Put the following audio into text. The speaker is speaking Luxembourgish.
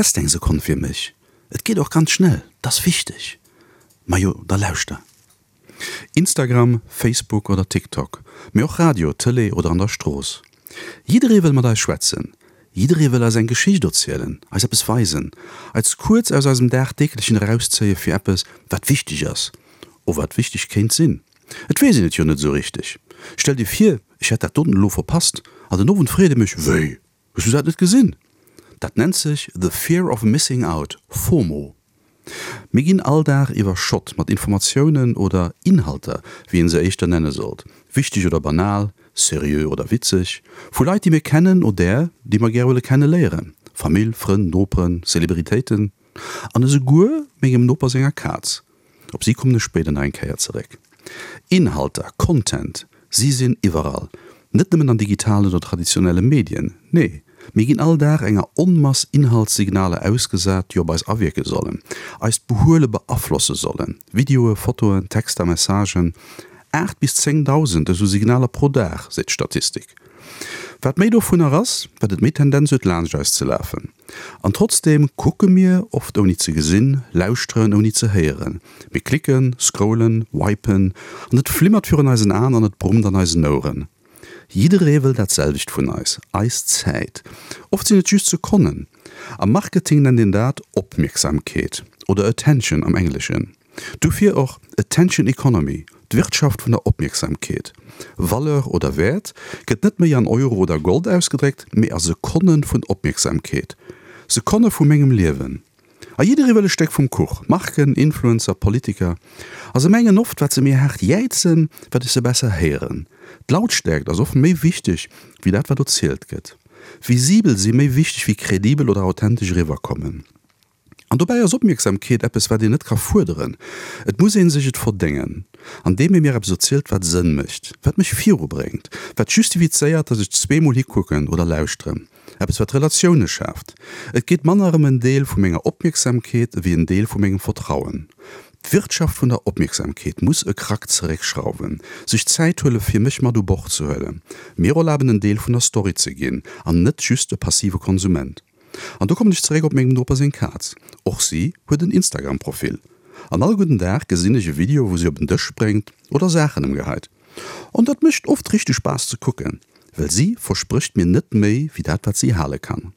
Häss d'eng Sekonn fir mech? Et geet och ganz schnell, 't ass wichteg. Majo, da lauschter. Instagram, Facebook oder TikTok, mee och Radio, Tëlee oder an der Strooss. Jidderee wëll mat eis schwätzen. Jidderee wëll eis eng Geschicht erzielen, eis eppes weisen, eis kuerz aus eisem Dagdeeglechen erauszéie fir eppes, wat wichteg ass, o wat wichteg kéint sinn. Et weess een et jo net esou richteg. Stell dir vir, ech hätt dat doten elo verpasst an den Owend freet ee mech, Wéi, hues du dat net gesinn? Dat nennt sech the fear of missing out, FOMO. Mir ginn all Dag iwwerschott mat Informatiounen oder Inhalter, wéi een se éischter nenne sollt, wichteg oder banal, seriö oder witzeg, vu Leit, déi mir kennen oder déi mer gär wëlle kenne léieren, Famill, Frënn, Noperen, Celebritéiten an esouguer mengem Noper senger Kaz. Op si kommen ech spéider nach eng Kéier zeréck. Inhalter, Content, si sinn iwwerall. Net nëmmen an digitalen oder traditionelle Medien, nee, mir ginn all Dag enger Onmass Inhaltssignaler ausgesat, déi op eis awierke sollen, eist Behuele beaflosse sollen, Videoe, Fotoen, Texter, Messagen. 8 bis 10.000 esou Signaler pro Dag, seet d'Statistik. Wat méi dovunner ass, wat et méi Tendenz huet laanscht eis ze lafen. An trotzdeem kucke mir, oft ouni ze gesinn, lauschteren ouni ze héieren. Mir klicken, scrollen, wipen, an et flimmert virun eisen Aen an et brummt an eisen Oueren. Jidderee wëll dat selwecht vun eis, eis Zäit. Oft sinn et just Sekonnen. Am Marketing nennt een dat Opmierksamkeet oder Attention am Engleschen. Dofir och Attention Economy, d'Wirtschaft vun der Opmierksamkeet. Valeur oder Wäert gëtt net méi an Euro oder Gold ausgedréckt, mee a Sekonne vun Opmierksamkeet. Sekonne vu mengem Liewen. A jidderee wëll e Stéck vum Kuch, Marken, Influencer, Politiker. A se mengen oft, wat se méi haart jäizen, wat ech se besser héieren. D'Lautstäerkt ass oft méi wichteg wéi dat wat erzielt gëtt. Visibel si méi wichteg wéi kredibel oder authentesch eriwwerkommen. An dobäi ass Opmierksamkeet eppes, wat een net ka fuerderen. Et muss ee sech et verdéngen, andeem ee mir eppes erzielt, wat Sënn mécht, wat mech virubréngt, wat justifizéiert, datt ech zweemol hikucken oder lauschteren, eppes, wat Relatioune schaaft. Et geet manner ëm en Deel vu menger Opmierksamkeet ewéi en Deel vu mengem Vertrauen. D'Wirtschaft vun der Opmierksamkeet muss e Krack zeréckschrauwen, sech Zäit huele fir mech mat u Bord ze huelen, mir erlaben en Deel vun der Story ze ginn an net just e passive Konsument. An do kommen ech zeréck op mengem Noper seng Kaz. Och si huet en Instagram-Profil. An all gudden Dag gesinn ech e Video wou si op en Dësch spréngt oder Saachen emgeheit. An dat mécht oft richteg Spaass ze kucken, well si versprécht mir net méi wéi dat wat si hale kann.